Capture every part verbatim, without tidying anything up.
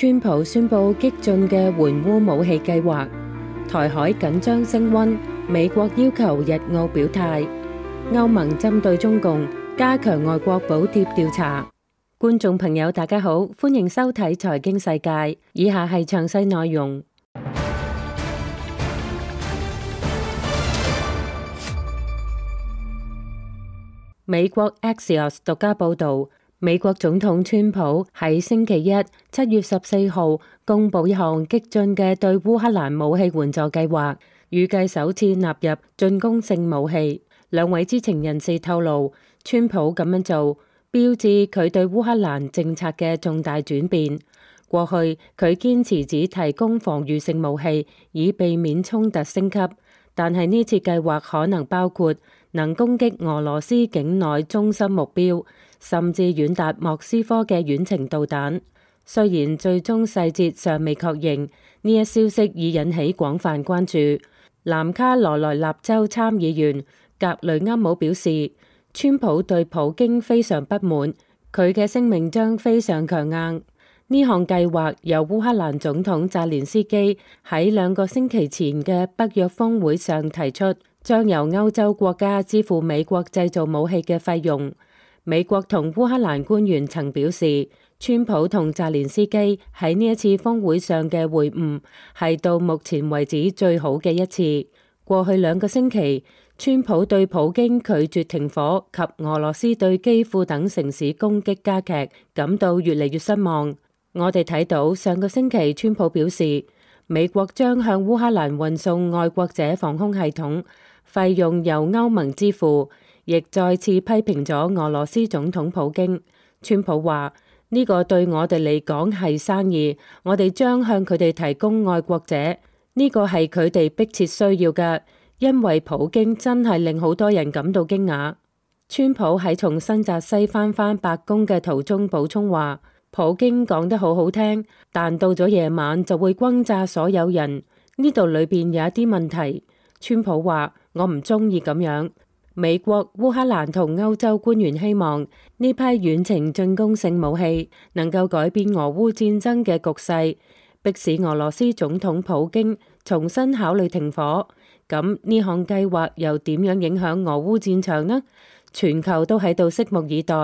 川普宣布激進嘅援烏武器計劃，台海緊張升溫，美國要求日澳表態，歐盟針對中共加強外國補貼調查。觀眾朋友大家好，歡迎收睇財經世界，以下係詳細內容。美國 Axios 獨家報導，美國總統川普喺星期一七月十四號公佈一項激進嘅對烏克蘭武器援助計劃，預計首次納入進攻性武器。兩位知情人士透露，川普咁樣做標誌佢對烏克蘭政策嘅重大轉變。過去佢堅持只提供防禦性武器，以避免衝突升級，但係呢次計劃可能包括能攻擊俄羅斯境內中心目標，甚至遠達莫斯科嘅遠程導彈。雖然最終細節尚未確認，呢一消息已引起廣泛關注。南卡羅來納州參議員格雷厄姆表示，川普對普京非常不滿，佢嘅聲明將非常強硬。呢項計劃由烏克蘭總統澤連斯基喺兩個星期前嘅北約峰會上提出，將由歐洲國家支付美國製造武器嘅費用。美國同烏克蘭官員曾表示，川普同澤連斯基喺呢一次峰會上嘅會晤係到目前為止最好嘅一次。過去兩個星期，川普對普京拒絕停火及俄羅斯對基輔等城市攻擊加劇感到越嚟越失望。我哋睇到上個星期，川普表示美國將向烏克蘭運送愛國者防空系統，費用由歐盟支付，亦再次批評咗俄羅斯總統普京。川普話：呢個對我哋嚟講係生意，我哋將向佢哋提供愛國者，呢個係佢哋迫切需要嘅，因為普京真係令好多人感到驚訝。川普喺從新澤西返返白宮嘅途中補充話：普京講得好好聽，但到咗夜晚就會轟炸所有人，呢度裏邊有一啲問題。川普話：我唔中意咁樣。美國、烏克蘭同歐洲官員希望呢批遠程進攻性武器能夠改變俄烏戰爭嘅局勢，迫使俄羅斯總統普京重新考慮停火。咁呢項計劃又點樣影響俄烏戰場呢？全球都喺度拭目以待。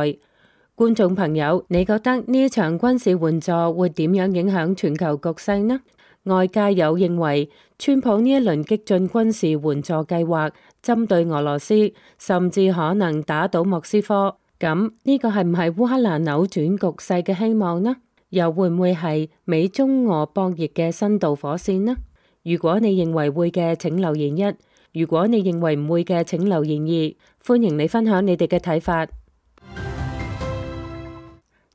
觀眾朋友，你覺得呢一場軍事援助會點樣影響全球局勢呢？外界有認為，川普呢一輪激進軍事援助計劃針對俄羅斯，甚至可能打倒莫斯科。咁呢個係唔係烏克蘭扭轉局勢嘅希望呢？又會唔會係美中俄博弈嘅新導火線呢？如果你認為會嘅，請留言一；如果你認為唔會嘅，請留言二。歡迎你分享你哋嘅睇法。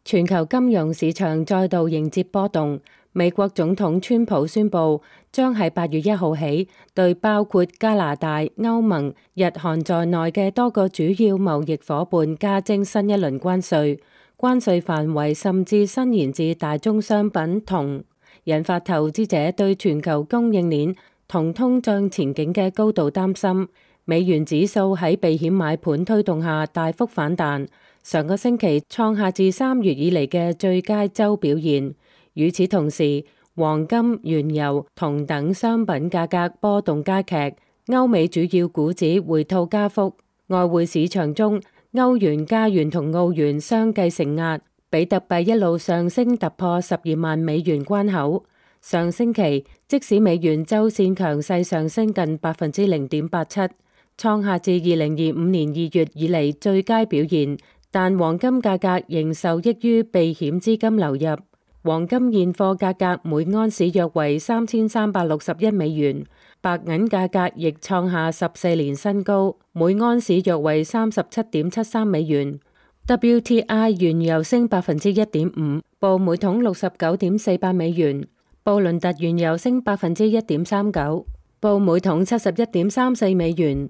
全球金融市場再度迎接波動。美國總統川普宣布，將喺八月一號起，對包括加拿大、歐盟、日韓在內嘅多個主要貿易夥伴加徵新一輪關稅，關稅範圍甚至伸延至大宗商品同，引發投資者對全球供應鏈同通脹前景嘅高度擔心。美元指數喺避險買盤推動下大幅反彈，上個星期創下自三月以嚟嘅最佳週表現。與此同時，黃金、原油、銅等商品價格波動加劇，歐美主要股指回吐加幅。外匯市場中，歐元、加元同澳元相繼承壓，比特幣一路上升突破十二萬美元關口。上星期，即使美元週線強勢上升近百分之零點八七，創下自二零二五年二月以嚟最佳表現，但黃金價格仍受益於避險資金流入。黃金現貨價格每盎司約為三千三百六十一美元，白銀價格亦創下十四年新高，每盎司約為三十七點七三美元。W T I 原油升百分之一點五，報每桶六十九點四八美元。布倫特原油升百分之一點三九，報每桶七十一點三四美元。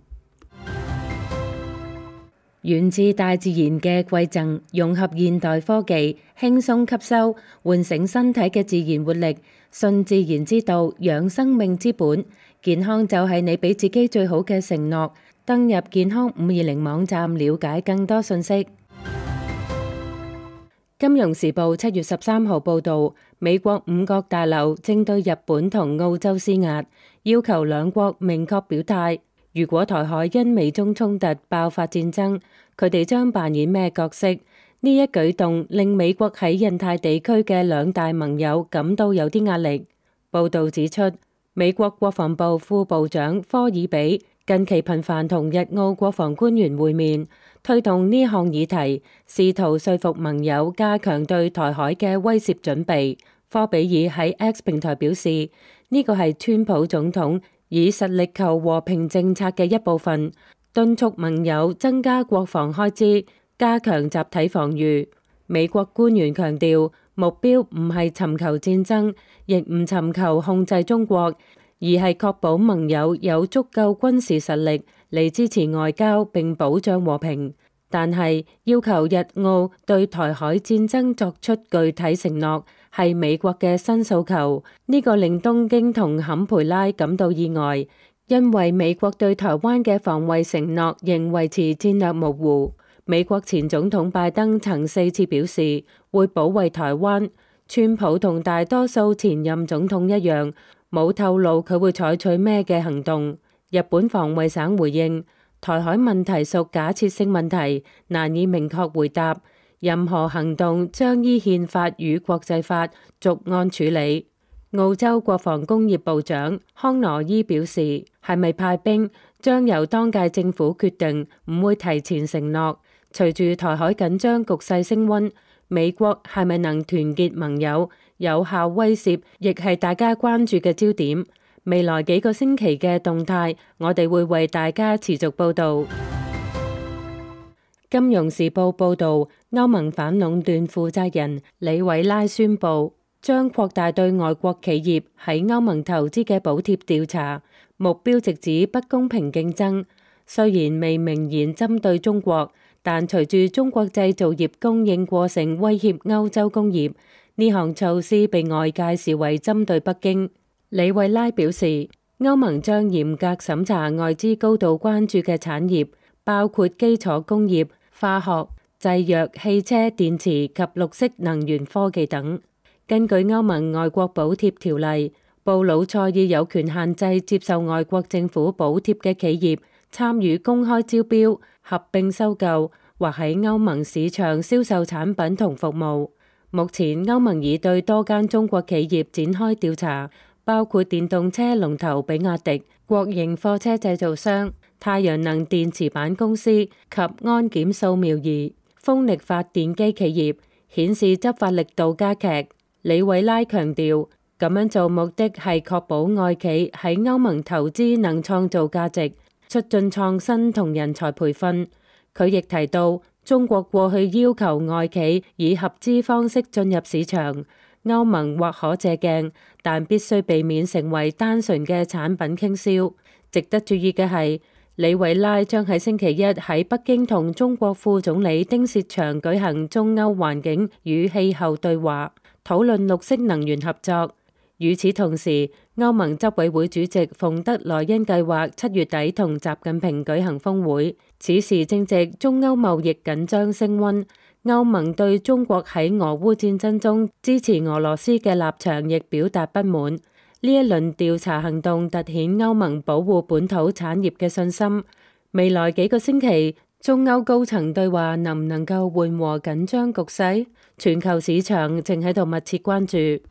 源自大自然嘅饋贈，融合現代科技，輕鬆吸收，喚醒身體嘅自然活力。信自然之道，養生命之本。健康就係你俾自己最好嘅承諾。登入健康五二零網站，了解更多信息。金融時報七月十三號報導，美國五角大樓正對日本同澳洲施壓，要求兩國明確表態，如果台海因美中衝突爆發戰爭，佢哋將扮演咩角色？呢一舉動令美國喺印太地區嘅兩大盟友感到有啲壓力。報道指出，美國國防部副部長科爾比近期頻繁同日澳國防官員會面，推動呢項議題，試圖說服盟友加強對台海嘅威懾準備。科比爾喺 X 平台表示，呢個係川普總統以實力求和平政策嘅一部分，敦促盟友增加國防開支，加強集體防禦。美國官員強調，目標唔係尋求戰爭，亦唔尋求控制中國，而係確保盟友有足夠軍事實力嚟支持外交並保障和平。但係要求日澳對台海戰爭作出具體承諾，係美國嘅新訴求。呢個令東京同坎培拉感到意外，因為美國對台灣嘅防衛承諾仍維持戰略模糊。美國前總統拜登曾四次表示會保衛台灣，川普同大多數前任總統一樣，冇透露佢會採取咩嘅行動。日本防衛省回應，台海問題屬假設性問題，難以明確回答，任何行動將依憲法與國際法逐案處理。澳洲國防工業部長康羅伊表示，係咪派兵將由當屆政府決定，唔會提前承諾。隨住台海緊張局勢升溫，美國係咪能團結盟友、有效威懾，亦係大家關注嘅焦點。未來幾個星期嘅動態，我哋會為大家持續報導。金融時報報導，歐盟反壟斷負責人李維拉宣布，將擴大對外國企業喺歐盟投資嘅補貼調查，目標直指不公平競爭。雖然未明言針對中國，但隨住中國製造業供應過剩威脅歐洲工業，呢項措施被外界視為針對北京。李維拉表示，歐盟將嚴格審查外資高度關注嘅產業，包括基礎工業、化學、製藥、汽車、電池及綠色能源科技等。根據歐盟外國補貼條例，布魯塞爾有權限制接受外國政府補貼嘅企業參與公開招標、合併收購或喺歐盟市場銷售產品同服務。目前歐盟已對多間中國企業展開調查，包括電動車龍頭比亞迪、國營貨車製造商、太陽能電池板公司及安檢掃描儀、風力發電機企業，顯示執法力度加劇。李維拉強調，咁樣做目的係確保外企喺歐盟投資能創造價值，促進創新同人才培訓。佢亦提到，中國過去要求外企以合資方式進入市場，歐盟或可借鏡，但必須避免成為單純嘅產品傾銷。值得注意嘅係，李維拉將喺星期一喺北京同中國副總理丁薛祥舉行中歐環境與氣候對話，討論綠色能源合作。與此同時，歐盟執委會主席馮德萊恩計劃七月底同習近平舉行峰會。此時正值中歐貿易緊張升溫，歐盟對中國喺俄烏戰爭中支持俄羅斯嘅立場亦表達不滿。呢一輪調查行動凸顯歐盟保護本土產業嘅信心。未來幾個星期，中歐高層對話能唔能夠緩和緊張局勢？全球市場正喺度密切關注。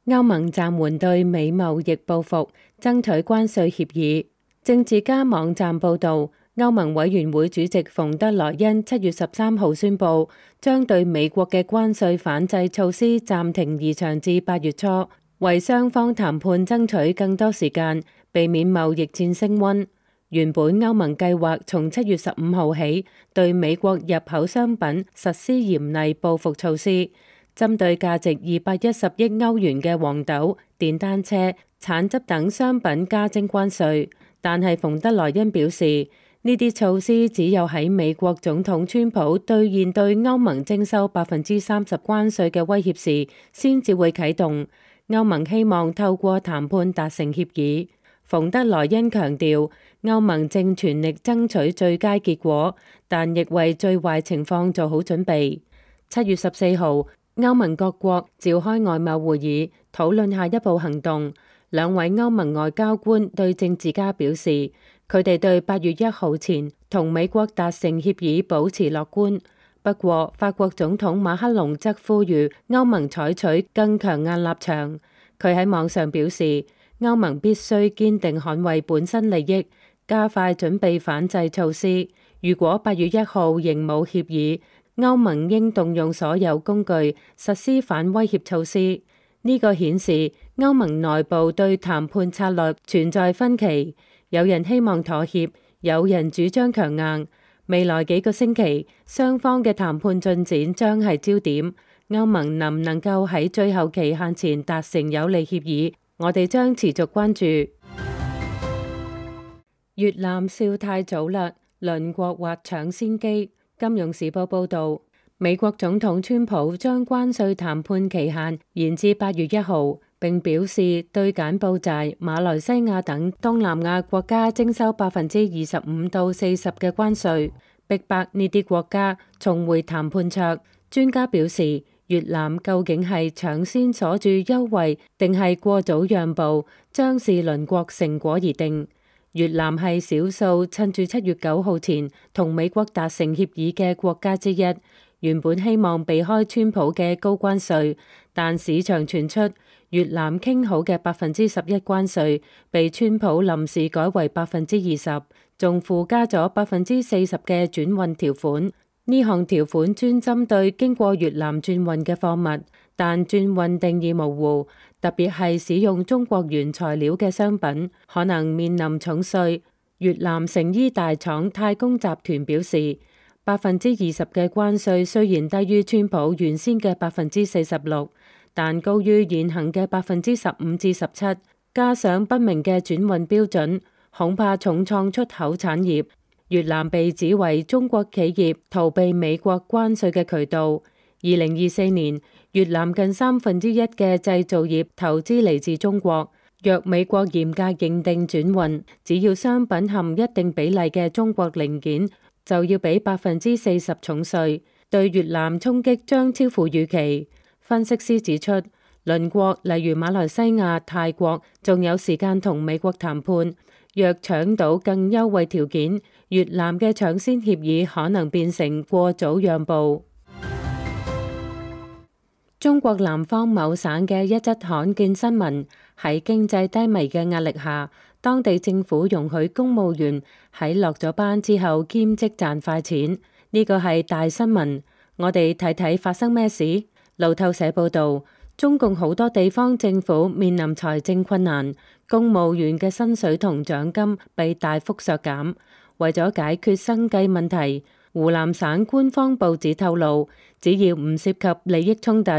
歐盟暫緩對美貿易報復，爭取關稅協議。政治家網站報導，歐盟委員會主席馮德萊恩七月十三號宣布，將對美國嘅關稅反制措施暫停延長至八月初，為雙方談判爭取更多時間，避免貿易戰升溫。原本歐盟計劃從七月十五號起，對美國入口商品實施嚴厲報復措施。針對價值二百一十億歐元嘅黃豆、電單車、橙汁等商品加徵關稅，但係馮德萊恩表示，呢啲措施只有喺美國總統川普兌現對歐盟徵收百分之三十關稅嘅威脅時，先至會啟動。歐盟希望透過談判達成協議。馮德萊恩強調，歐盟正全力爭取最佳結果，但亦為最壞情況做好準備。七月十四號，歐盟各國召開外貿會議，討論下一步行動。兩位歐盟外交官對政治家表示，佢哋對八月一號前同美國達成協議保持樂觀。不過，法國總統馬克龍則呼籲歐盟採取更強硬立場。佢喺網上表示，歐盟必須堅定捍衛本身利益，加快準備反制措施。如果八月一號仍冇協議，歐盟應動用所有工具實施反威脅措施。呢個顯示歐盟內部對談判策略存在分歧，有人希望妥協，有人主張強硬。未來幾個星期，雙方嘅談判進展將係焦點。歐盟能唔能夠喺最後期限前達成有利協議，我哋將持續關注。越南笑太早啦，鄰國或搶先機。金融時報報導，美國總統川普將關稅談判期限延至八月一號，並表示對柬埔寨、馬來西亞等東南亞國家徵收百分之二十五到四十嘅關稅，逼迫呢啲國家重回談判桌。專家表示，越南究竟係搶先鎖住優惠，定係過早讓步，將視鄰國成果而定。越南係少數趁住七月九號前同美國達成協議嘅國家之一，原本希望避開川普嘅高關稅，但市場傳出越南傾好嘅百分之十一關稅被川普臨時改為百分之二十，仲附加咗百分之四十嘅轉運條款。呢項條款專針對經過越南轉運嘅貨物，但轉運定義模糊，特別係使用中國原材料嘅商品，可能面臨重稅。越南成衣大廠太工集團表示，百分之二十嘅關稅雖然低於川普原先嘅百分之四十六，但高於現行嘅百分之十五至十七，加上不明嘅轉運標準，恐怕重創出口產業。越南被指為中國企業逃避美國關稅嘅渠道。二零二四年，越南近三分之一嘅製造業投資嚟自中國。若美國嚴格認定轉運，只要商品含一定比例嘅中國零件，就要俾百分之四十重稅，對越南衝擊將超乎預期。分析師指出，鄰國例如馬來西亞、泰國，仲有時間同美國談判。若搶到更優惠條件，越南嘅搶先協議可能變成過早讓步。中國南方某省嘅一則罕見新聞，喺經濟低迷嘅壓力下，當地政府容許公務員喺落咗班之後兼職賺快錢。呢個係大新聞。我哋睇睇發生咩事。路透社報導，中共好多地方政府面臨財政困難，公務員嘅薪水同獎金被大幅削減。為咗解決生計問題，湖南省官方報紙透露，只要唔涉及利益衝突，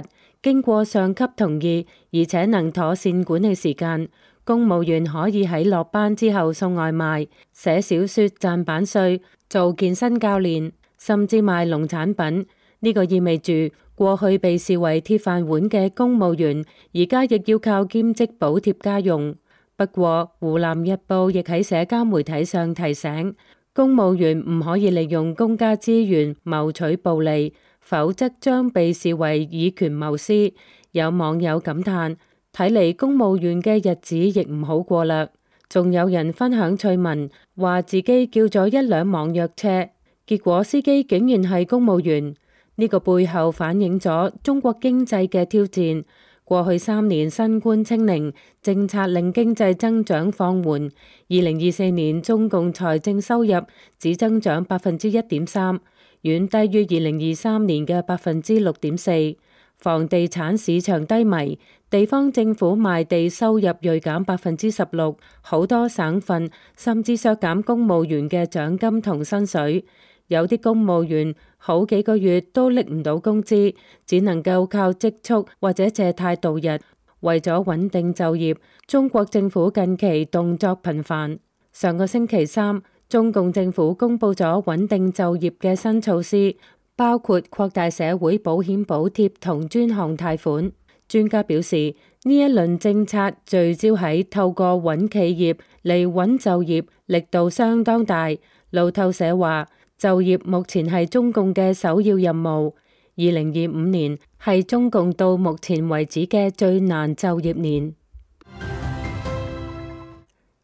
經過上級同意，而且能妥善管理時間，公務員可以喺落班之後送外賣、寫小說賺版稅、做健身教練，甚至賣農產品。呢個意味住，過去被視為鐵飯碗嘅公務員，而家亦要靠兼職補貼家用。不過，湖南日報亦喺社交媒體上提醒，公務員唔可以利用公家資源謀取暴利，否則將被視為以權謀私。有網友感嘆，睇嚟公務員嘅日子亦唔好過啦。仲有人分享趣聞，話自己叫咗一輛網約車，結果司機竟然係公務員。呢個背後反映咗中國經濟嘅挑戰。過去三年新冠清零政策令經濟增長放緩，二零二四年中共財政收入只增長百分之一點三，遠低於二零二三年嘅百分之六點四。房地產市場低迷，地方政府賣地收入銳減百分之十六，好多省份甚至削減公務員嘅獎金同薪水。有啲公務員好幾個月都拎唔到工資，只能夠靠積蓄或者借貸度日。為咗穩定就業，中國政府近期動作頻繁。上個星期三，中共政府公布咗穩定就業嘅新措施，包括擴大社會保險補貼同專項貸款。專家表示，呢一輪政策聚焦喺透過穩企業嚟穩就業，力度相當大。路透社話，就業目前係中共嘅首要任務。二零二五年係中共到目前為止嘅最難就業年。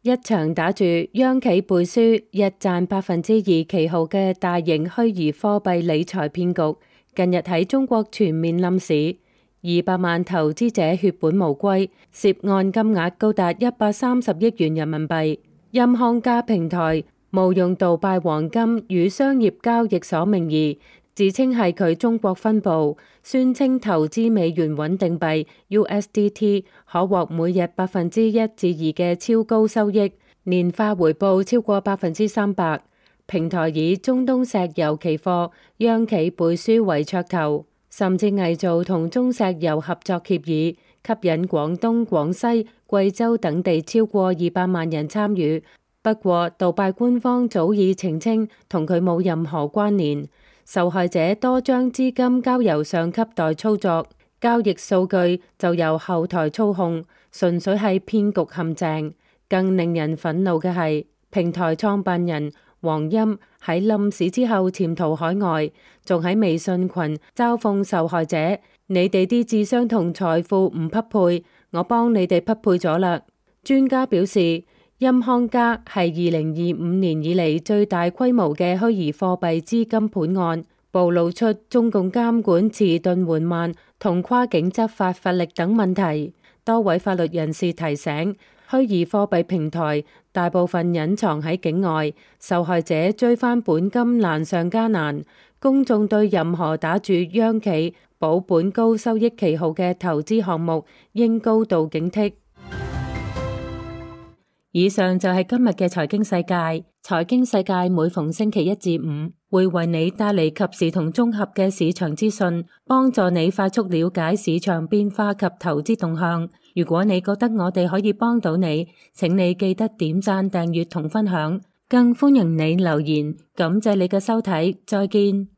一場打住央企背書日賺百分之二旗號嘅大型虛擬貨幣理財騙局，近日喺中國全面冧市，二百萬投資者血本無歸，涉案金額高達一百三十億元人民幣。音康家平台冒用杜拜黃金與商業交易所名義，自稱係佢中國分部，宣稱投資美元穩定幣 U S D T 可獲每日百分之一至二嘅超高收益，年化回報超過百分之三百。平台以中東石油期貨央企背書為噱頭，甚至偽造同中石油合作協議，吸引廣東、廣西、貴州等地超過二百萬人參與。不過，杜拜官方早已澄清同佢冇任何關聯。受害者多將資金交由上級代操作，交易數據就由後台操控，純粹係騙局陷阱。更令人憤怒嘅係，平台創辦人黃鑫喺冧市之後潛逃海外，仲喺微信群嘲諷受害者：你哋啲智商同財富唔匹配，我幫你哋匹配咗啦。專家表示，音康家係二零二五年以嚟最大規模嘅虛擬貨幣資金盤案，暴露出中共監管遲鈍緩慢同跨境執法乏力等問題。多位法律人士提醒，虛擬貨幣平台大部分隱藏喺境外，受害者追翻本金難上加難。公眾對任何打住央企保本高收益旗號嘅投資項目應高度警惕。以上就係今日嘅財經世界。財經世界每逢星期一至五會為你帶嚟及時同綜合嘅市場資訊，幫助你快速了解市場變化及投資動向。如果你覺得我哋可以幫到你，請你記得點讚、訂閱同分享，更歡迎你留言。感謝你嘅收睇，再見。